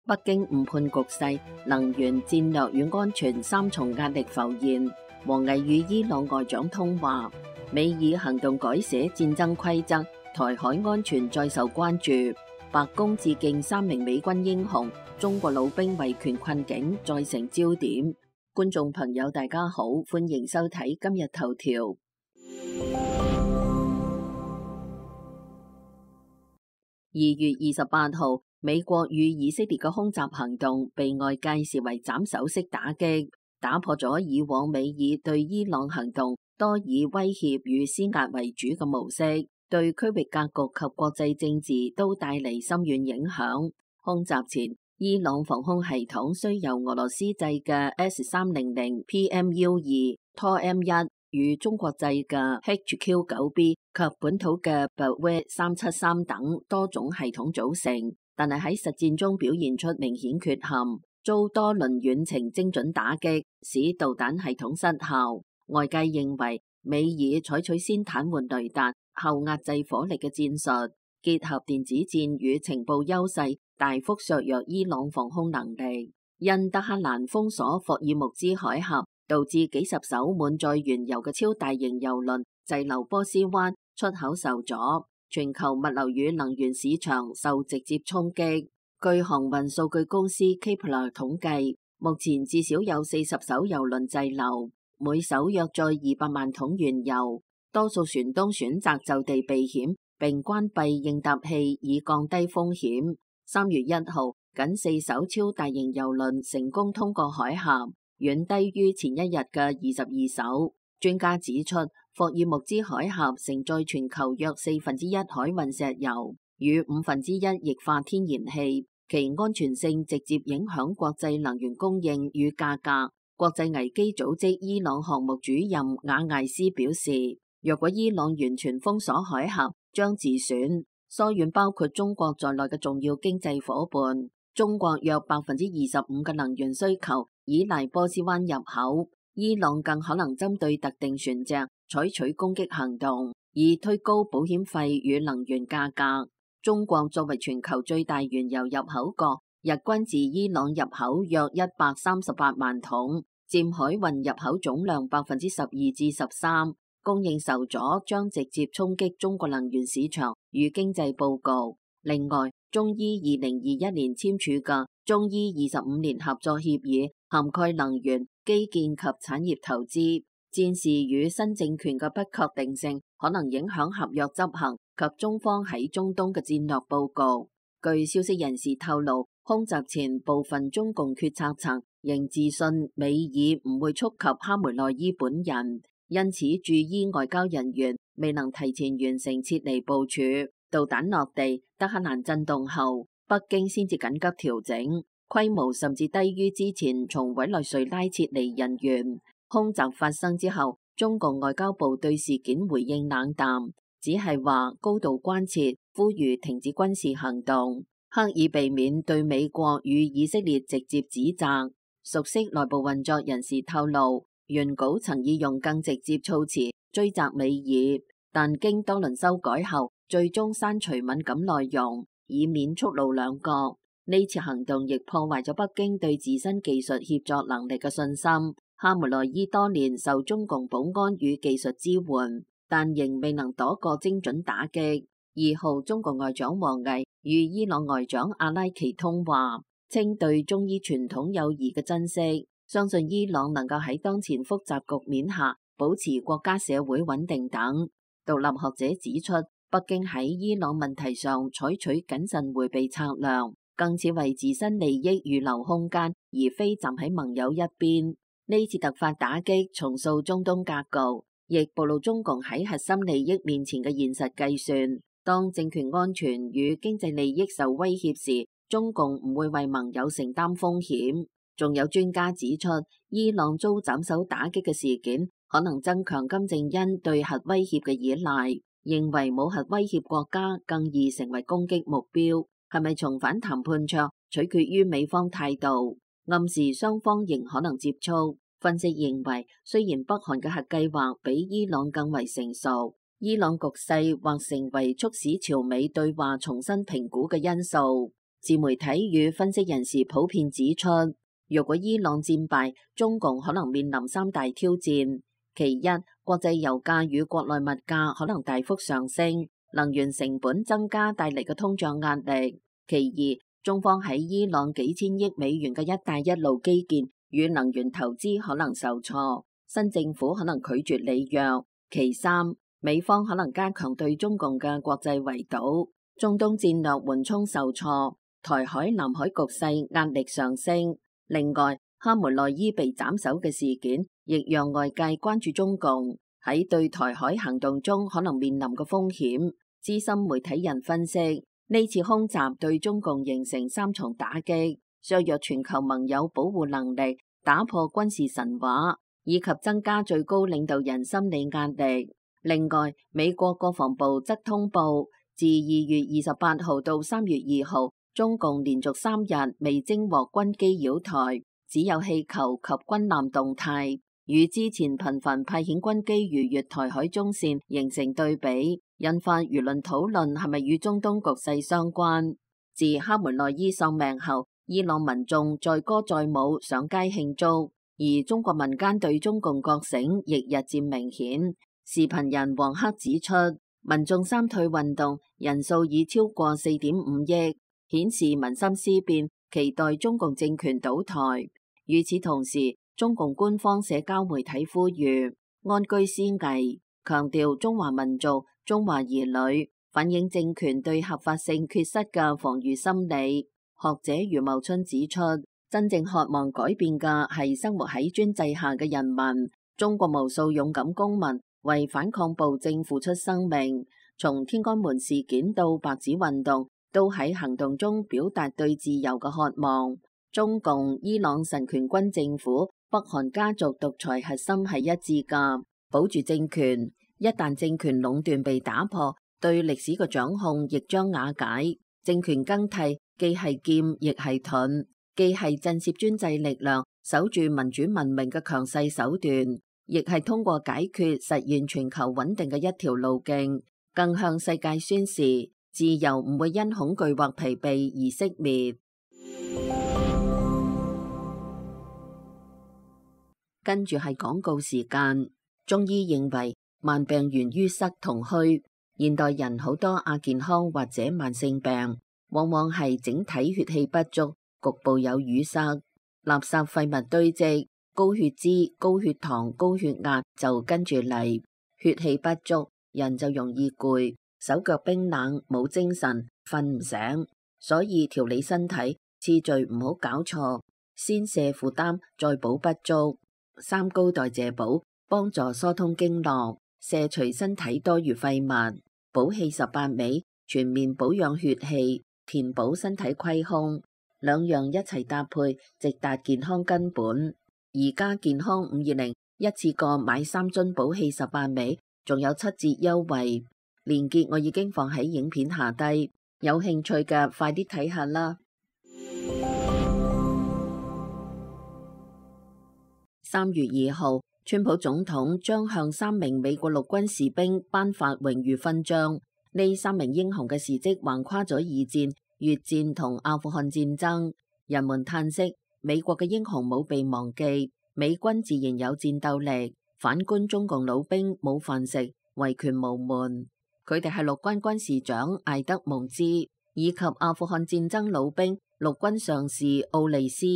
北京誤判局勢、能源戰略與安全三重壓力浮現。王毅與伊朗外長通話，美以行動改寫戰爭規則，台海安全再受關注。白宮致敬3名美軍英雄，中國老兵維權困境再成焦點。觀眾朋友大家好，歡迎收睇今日頭條。2月28號，美國與以色列嘅空襲行動被外界視為斬首式打擊，打破咗以往美以對伊朗行動多以威脅與施壓為主嘅模式，對區域格局及國際政治都帶嚟深遠影響。空襲前，伊朗防空系統雖由俄羅斯製嘅 S-300 PMU-2 TOR-M1 與中國製嘅 HQ-9B 及本土嘅 Bahweh 373等多種系統組成，但係喺實戰中表現出明顯缺陷，遭多輪遠程精準打擊，使導彈系統失效。外界認為美以採取先癱瘓雷達後壓制火力嘅戰術，結合電子戰與情報優勢，大幅削弱伊朗防空能力。因德黑蘭封鎖霍爾木茲海峽，導致幾十艘滿載原油嘅超大型油輪滯留波斯灣，出口受阻，全球物流與能源市場受直接衝擊。據航運數據公司 Kpler 統計，目前至少有40艘油輪滯留，每艘約載200萬桶原油。多數船東選擇就地避險，並關閉應答器以降低風險。3月1號，僅4艘超大型油輪成功通過海峽，遠低於前一日嘅22艘。專家指出，霍爾木茲海峽承載全球約1/4海運石油與1/5液化天然氣，其安全性直接影響國際能源供應與價格。國際危機組織伊朗項目主任瓦艾斯表示，若果伊朗完全封鎖海峽，將自損疏遠包括中國在內嘅重要經濟夥伴。中國約25%嘅能源需求依賴波斯灣入口，伊朗更可能針對特定船隻採取攻擊行動，以推高保險費與能源價格。中國作為全球最大原油入口國，日均自伊朗入口約138萬桶，佔海運入口總量12%至13%。供應受阻將直接衝擊中國能源市場與經濟佈局。另外，中伊2021年簽署嘅中伊25年合作協議，涵蓋能源、基建及產業投資。戰事與新政權嘅不確定性可能影響合約執行及中方喺中東嘅戰略佈局。據消息人士透露，空襲前部分中共決策層仍自信美以唔會觸及哈梅內伊本人。因此，駐伊外交人員未能提前完成撤離部署。導彈落地，德黑蘭震動後，北京先至緊急調整，規模甚至低於之前從委內瑞拉撤離人員。空襲發生之後，中共外交部對事件回應冷淡，只係話高度關切，呼籲停止軍事行動，刻意避免對美國與以色列直接指責。熟悉內部運作人士透露，原稿曾意用更直接措辭追責美以，但經多輪修改後，最終刪除敏感內容，以免觸怒兩國。呢次行動亦破壞咗北京對自身技術協作能力嘅信心。哈梅內伊多年受中共保安與技術支援，但仍未能躲過精準打擊。2號，中國外長王毅與伊朗外長阿拉奇通話，稱對中伊傳統友誼嘅珍惜。相信伊朗能夠喺當前複雜局面下保持國家社會穩定等。獨立學者指出，北京喺伊朗問題上採取謹慎迴避策略，更似為自身利益預留空間，而非站喺盟友一邊。呢次突發打擊重塑中東格局，亦暴露中共喺核心利益面前嘅現實計算。當政權安全與經濟利益受威脅時，中共唔會為盟友承擔風險。仲有專家指出，伊朗遭斬首打擊嘅事件可能增強金正恩對核威脅嘅依賴，認為冇核威脅國家更易成為攻擊目標。係咪重返談判桌，取決於美方態度，暗示雙方仍可能接觸。分析認為，雖然北韓嘅核計劃比伊朗更為成熟，伊朗局勢或成為促使朝美對話重新評估嘅因素。自媒體與分析人士普遍指出，若果伊朗戰敗，中共可能面臨三大挑戰。其一，國際油價與國內物價可能大幅上升，能源成本增加帶嚟嘅通脹壓力。其二，中方喺伊朗幾千億美元嘅一帶一路基建與能源投資可能受挫，新政府可能拒絕履約。其三，美方可能加強對中共嘅國際圍堵，中東戰略緩衝受挫，台海、南海局勢壓力上升。另外，哈梅內伊被斬首嘅事件，亦讓外界關注中共喺對台海行動中可能面臨嘅風險。資深媒體人分析，呢次空襲對中共形成三重打擊，削弱全球盟友保護能力，打破軍事神話，以及增加最高領導人心理壓力。另外，美國國防部則通報，自2月28號到3月2號，中共連續3日未偵獲軍機擾台，只有氣球及軍艦動態，與之前頻繁派遣軍機逾越台海中線形成對比，引發輿論討論係咪與中東局勢相關。自哈梅內伊喪命後，伊朗民眾載歌載舞上街慶祝，而中國民間對中共覺醒亦日漸明顯。視頻人黃克指出，民眾三退運動人數已超過4.5億，顯示民心思變，期待中共政權倒台。與此同時，中共官方社交媒體呼籲安居思危，強調中華民族、中華兒女，反映政權對合法性缺失嘅防禦心理。學者余茂春指出，真正渴望改變嘅係生活喺專制下嘅人民。中國無數勇敢公民為反抗暴政付出生命，從天安門事件到白紙運動，都喺行動中表達對自由嘅渴望。中共、伊朗神權軍政府、北韓家族獨裁核心係一致㗎，保住政權。一旦政權壟斷被打破，對歷史嘅掌控亦將瓦解。政權更替既係劍亦係盾，既係震懾專制力量、守住民主文明嘅強勢手段，亦係通過解決實現全球穩定嘅一條路徑，更向世界宣示自由唔會因恐懼或疲憊而熄滅。跟住係廣告時間。中醫認為慢病源於塞同虛，現代人好多亞健康或者慢性病，往往係整體血氣不足，局部有淤塞，垃圾廢物堆積，高血脂、高血糖、高血壓就跟住嚟。血氣不足，人就容易攰，手腳冰冷，冇精神，瞓唔醒。所以調理身體次序唔好搞錯，先卸負擔，再補不足。三高代謝補幫助疏通經絡，卸除身體多餘廢物。補氣18味全面保養血氣，填補身體虧空，兩樣一齊搭配，直達健康根本。而家健康520一次過買3樽補氣18味，仲有7折優惠，鏈接我已經放喺影片下低，有興趣嘅快啲睇下啦。3月2號，川普總統將向3名美國陸軍士兵頒發榮譽勳章。呢3名英雄嘅事蹟橫跨咗二戰、越戰同阿富汗戰爭。人們嘆息，美國嘅英雄冇被忘記，美軍自然有戰鬥力。反觀中共老兵冇飯食，維權無門。佢哋係陸軍軍事長艾德蒙茲，以及阿富汗戰爭老兵陸軍上士奧利斯。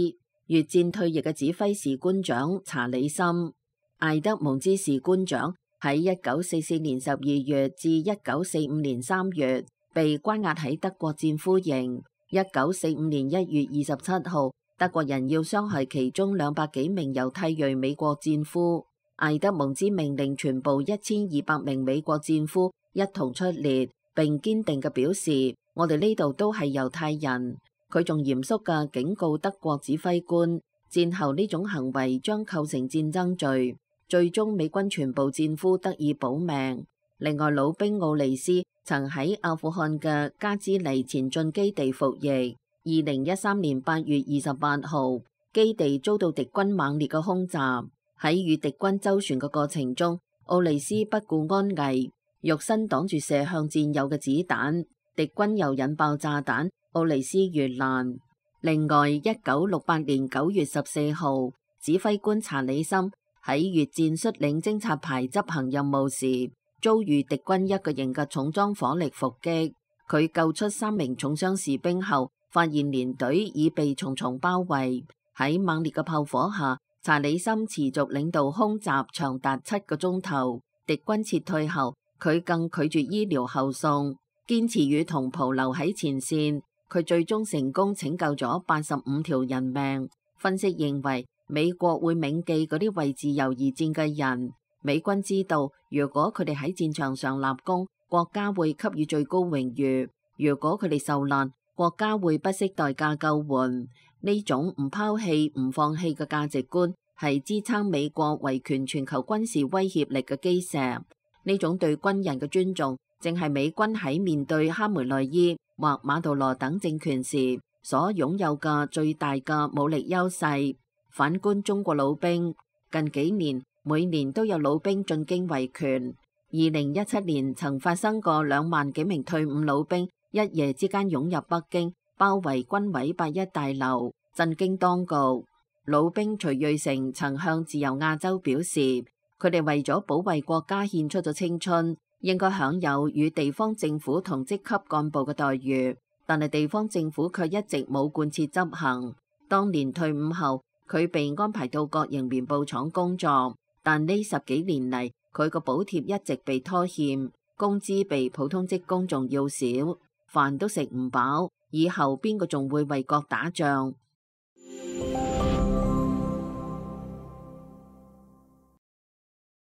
越戰退役嘅指揮士官長查理森。艾德蒙茲士官長喺1944年12月至1945年3月被關押喺德國戰俘營。1945年1月27號，德國人要傷害其中200幾名猶太裔美國戰俘，艾德蒙茲命令全部1200名美國戰俘一同出列，並堅定嘅表示：我哋呢度都係猶太人。佢仲嚴肅嘅警告德國指揮官，戰後呢種行為將構成戰爭罪。最終美軍全部戰俘得以保命。另外，老兵奧利斯曾喺阿富汗嘅加茲尼前進基地服役。2013年8月28號，基地遭到敵軍猛烈嘅空襲。喺與敵軍周旋嘅過程中，奧利斯不顧安危，肉身擋住射向戰友嘅子彈。敵軍又引爆炸彈，奧尼斯越蘭。另外，1968年9月14號，指揮官查理森喺越戰率領偵察排執行任務時，遭遇敵軍一個營嘅重裝火力伏擊。佢救出3名重傷士兵後，發現連隊已被重重包圍。喺猛烈嘅炮火下，查理森持續領導空襲長達7個鐘頭。敵軍撤退後，佢更拒絕醫療後送，堅持與同袍留喺前線。佢最終成功拯救咗85條人命。分析認為，美國會銘記嗰啲為自由而戰嘅人。美軍知道，如果佢哋喺戰場上立功，國家會給予最高榮譽；如果佢哋受難，國家會不惜代價救援。呢種唔拋棄、唔放棄嘅價值觀，係支撐美國維權全球軍事威脅力嘅基石。呢種對軍人嘅尊重，正係美軍喺面對哈梅內伊或馬杜羅等政權時所擁有嘅最大嘅武力優勢。反觀中國老兵，近幾年每年都有老兵進京維權。2017年曾發生過2萬幾名退伍老兵一夜之間湧入北京，包圍軍委81大樓，震驚當局。老兵徐瑞成曾向自由亞洲表示，佢哋為咗保衛國家獻出咗青春，應該享有與地方政府同職級幹部嘅待遇，但係地方政府卻一直冇貫徹執行。當年退伍後，佢被安排到國營棉布廠工作，但呢10幾年嚟，佢個補貼一直被拖欠，工資比普通職工仲要少，飯都食唔飽，以後邊個仲會為國打仗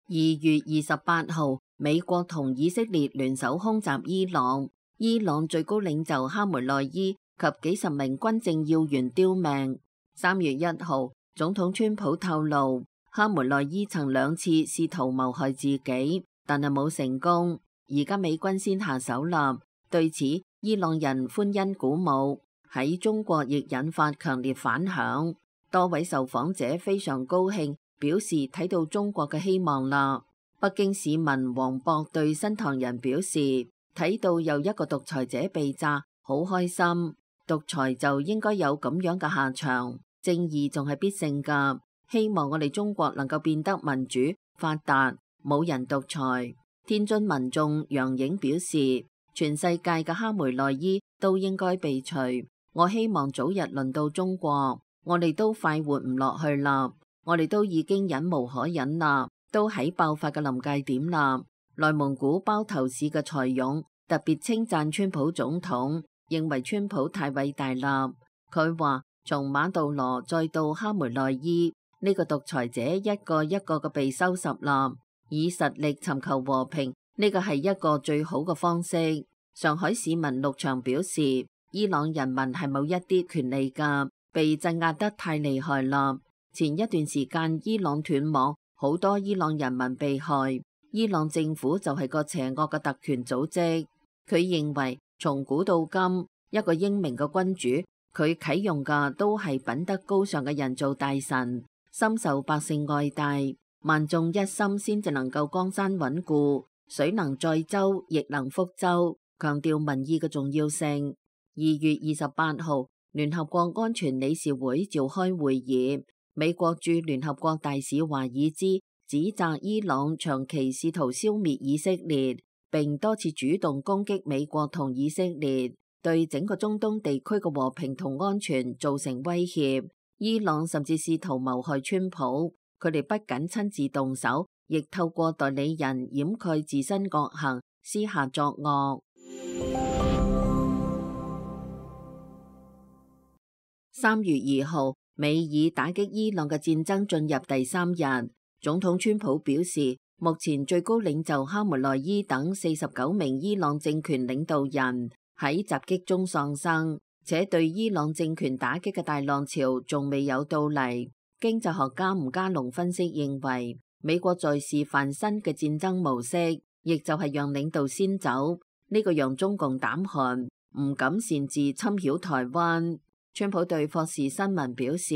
？2月28號，美國同以色列聯手空襲伊朗，伊朗最高領袖哈梅內伊及幾十名軍政要員丟命。3月1號，總統川普透露，哈梅內伊曾2次試圖謀害自己，但係冇成功。而家美軍先下手啦，對此伊朗人歡欣鼓舞，喺中國亦引發強烈反響。多位受訪者非常高興，表示睇到中國嘅希望啦。北京市民黃博對新唐人表示，睇到又一個獨裁者被炸，好開心。獨裁就應該有咁樣嘅下場，正義仲係必勝噶。希望我哋中國能夠變得民主發達，冇人獨裁。天津民眾楊影表示，全世界嘅哈梅內伊都應該被除。我希望早日輪到中國，我哋都快活唔落去啦，我哋都已經忍無可忍啦，都喺爆發嘅臨界點啦。內蒙古包頭市嘅蔡勇特別稱讚川普總統，認為川普太偉大啦。佢話從馬杜羅再到哈梅內伊，呢個獨裁者一個一個嘅被收拾啦，以實力尋求和平，呢個係一個最好嘅方式。上海市民陸翔表示，伊朗人民係冇一啲權利噶，被鎮壓得太厲害啦。前一段時間伊朗斷網，好多伊朗人民被害，伊朗政府就係個邪惡嘅特權組織。佢認為從古到今，一個英明嘅君主，佢啟用嘅都係品德高尚嘅人做大臣，深受百姓愛戴，萬眾一心先至能夠江山穩固，水能載舟亦能覆舟，強調民意嘅重要性。2月28號，聯合國安全理事會召開會議，美國駐聯合國大使華爾茲指責伊朗長期試圖消滅以色列，並多次主動攻擊美國同以色列，對整個中東地區嘅和平同安全造成威脅。伊朗甚至試圖謀害川普，佢哋不僅親自動手，亦透過代理人掩蓋自身惡行，私下作惡。3月2號，美以打擊伊朗嘅戰爭進入第3日。總統川普表示，目前最高領袖哈梅內伊等49名伊朗政權領導人喺襲擊中喪生，且對伊朗政權打擊嘅大浪潮仲未有到嚟。經濟學家吳家龍分析認為，美國在示範新嘅戰爭模式，亦就係讓領導先走，呢個讓中共膽寒，唔敢擅自侵擾台灣。川普對霍士新聞表示，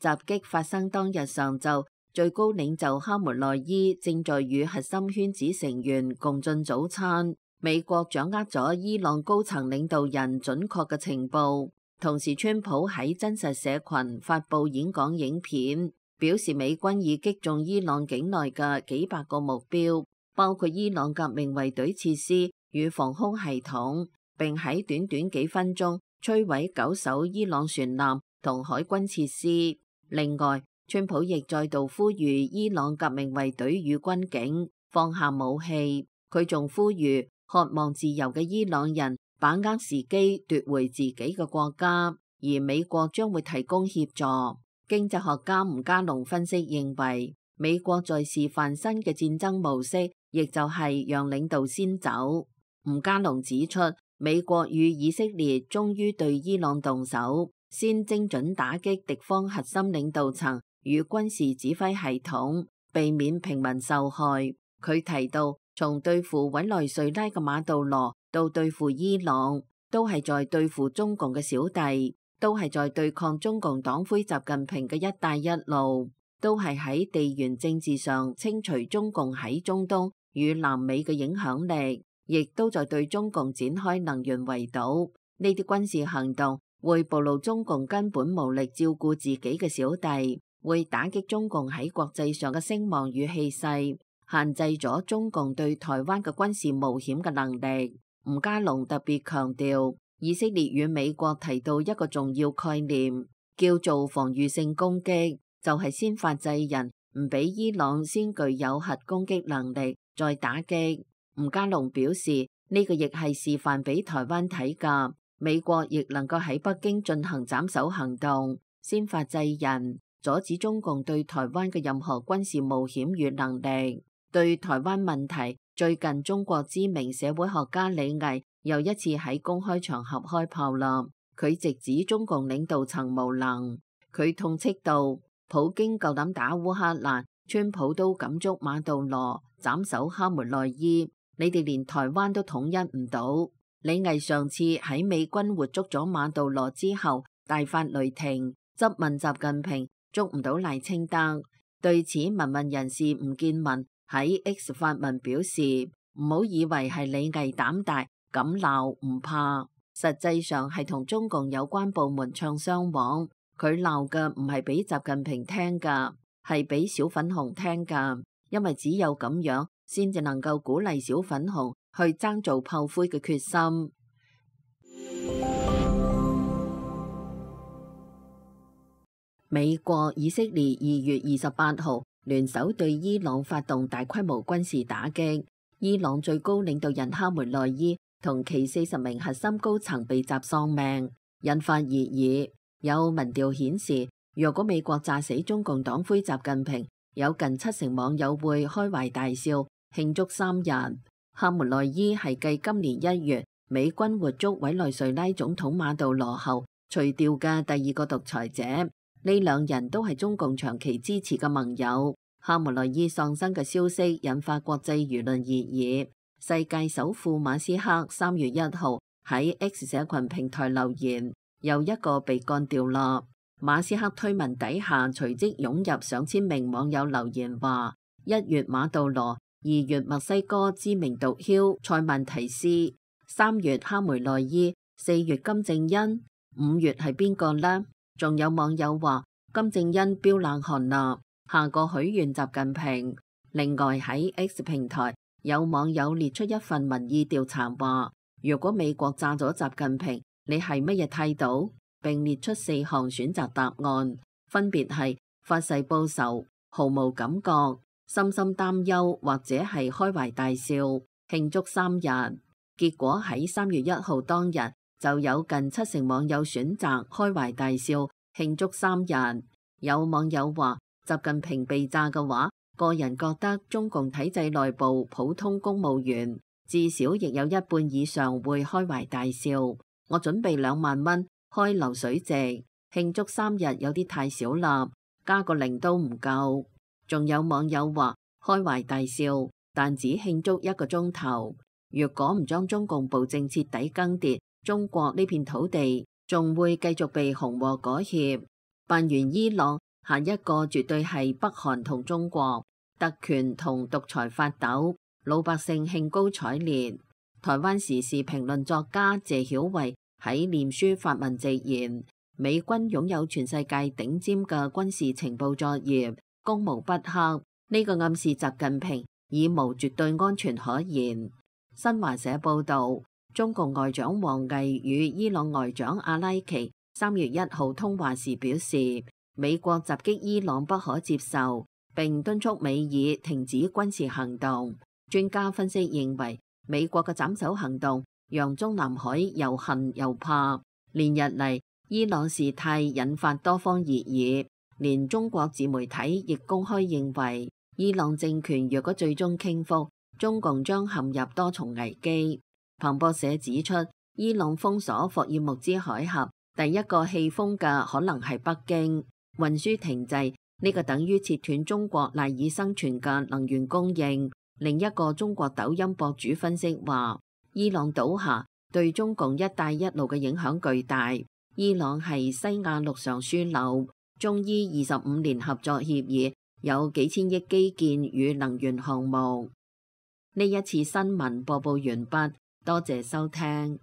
襲擊發生當日上晝，最高領袖哈梅內伊正在與核心圈子成員共進早餐。美國掌握咗伊朗高層領導人準確嘅情報。同時，川普喺真實社群發布演講影片，表示美軍已擊中伊朗境內嘅幾百個目標，包括伊朗革命衛隊設施與防空系統，並喺短短幾分鐘摧毀9艘伊朗船艦同海軍設施。另外，川普亦再度呼籲伊朗革命衛隊與軍警放下武器，佢仲呼籲渴望自由嘅伊朗人把握時機奪回自己嘅國家，而美國將會提供協助。經濟學家吳家龍分析認為，美國在示範新嘅戰爭模式，亦就係讓領導先走。吳家龍指出，美國與以色列終於對伊朗動手，先精準打擊敵方核心領導層與軍事指揮系統，避免平民受害。佢提到，從對付委內瑞拉嘅馬杜羅到對付伊朗，都係在對付中共嘅小弟，都係在對抗中共黨魁習近平嘅一帶一路，都係喺地緣政治上清除中共喺中東與南美嘅影響力，亦都在對中共展開能源圍堵。呢啲軍事行動會暴露中共根本無力照顧自己嘅小弟，會打擊中共喺國際上嘅聲望與氣勢，限制咗中共對台灣嘅軍事冒險嘅能力。吳家龍特別強調，以色列與美國提到一個重要概念，叫做防禦性攻擊，就係先發制人，唔俾伊朗先具有核攻擊能力，再打擊。吳家龍表示，呢個亦係示範俾台灣睇㗎，美國亦能夠喺北京進行斬首行動，先發制人，阻止中共對台灣嘅任何軍事冒險與能力。對台灣問題，最近中國知名社會學家李毅又一次喺公開場合開炮啦。佢直指中共領導層無能，佢痛斥道：普京夠膽打烏克蘭，川普都敢捉馬杜羅，斬首哈梅內伊，你哋連台灣都統一唔到。李毅上次喺美軍活捉咗馬杜羅之後，大發雷霆，質問習近平捉唔到賴清德。對此，民運人士吳建文喺 X 發文表示，唔好以為係李毅膽大敢鬧唔怕，實際上係同中共有關部門唱雙簧。佢鬧嘅唔係俾習近平聽噶，係俾小粉紅聽噶，因為只有咁樣先至能夠鼓勵小粉紅去爭做炮灰嘅決心。美國、以色列2月28號聯手對伊朗發動大規模軍事打擊，伊朗最高領導人哈梅內伊同其40名核心高層被襲喪命，引發熱議。有民調顯示，若果美國炸死中共黨魁習近平，有近70%網友會開懷大笑慶祝3日。哈梅內伊係繼今年1月美軍活捉委內瑞拉總統馬杜羅後除掉嘅第2個獨裁者。呢兩人都係中共長期支持嘅盟友。哈梅內伊喪生嘅消息引發國際輿論熱議。世界首富馬斯克3月1號喺 X 社群平台留言，又一個被幹掉啦。馬斯克推文底下隨即湧入上千名網友留言話：1月馬杜羅，2月墨西哥知名毒梟塞萬提斯，3月哈梅內伊，4月金正恩，5月係邊個呢？仲有網友話金正恩飆冷汗啦，下個許願習近平。另外喺 X 平台有網友列出一份民意調查話，如果美國炸咗習近平，你係乜嘢態度？並列出4項選擇答案，分別係發誓報仇、毫無感覺、深深擔憂或者係開懷大笑慶祝3日。結果喺3月1號當日，就有近70%網友選擇開懷大笑慶祝3日。有網友話，習近平被炸嘅話，個人覺得中共體制內部普通公務員至少亦有一半以上會開懷大笑。我準備2萬蚊開流水席慶祝3日有啲太少啦，加個0都唔夠。仲有網友話開懷大笑，但只慶祝1個鐘頭。若果唔將中共暴政徹底更迭，中國呢片土地仲會繼續被紅禍裹挾。辦完伊朗，下一個絕對係北韓同中國，特權同獨裁發抖，老百姓興高采烈。台灣時事評論作家謝曉慧喺臉書發文直言，美軍擁有全世界頂尖嘅軍事情報作業，攻無不克。呢個暗示習近平已無絕對安全可言。新華社報導，中共外長王毅與伊朗外長阿拉奇3月1號通話時表示，美國襲擊伊朗不可接受，並敦促美爾停止軍事行動。專家分析認為，美國嘅斬首行動讓中南海又恨又怕。連日嚟，伊朗事態引發多方熱議，連中國自媒體亦公開認為，伊朗政權若果最終傾覆，中共將陷入多重危機。彭博社指出，伊朗封鎖霍爾木茲海峽，第一個棄封嘅可能係北京。運輸停滯，呢個等於切斷中國賴以生存嘅能源供應。另一個中國抖音博主分析話，伊朗倒下對中共一帶一路嘅影響巨大。伊朗係西亞陸上樞紐，中伊25年合作協議有幾千億基建與能源項目。呢一次新聞播報完畢，多謝收聽。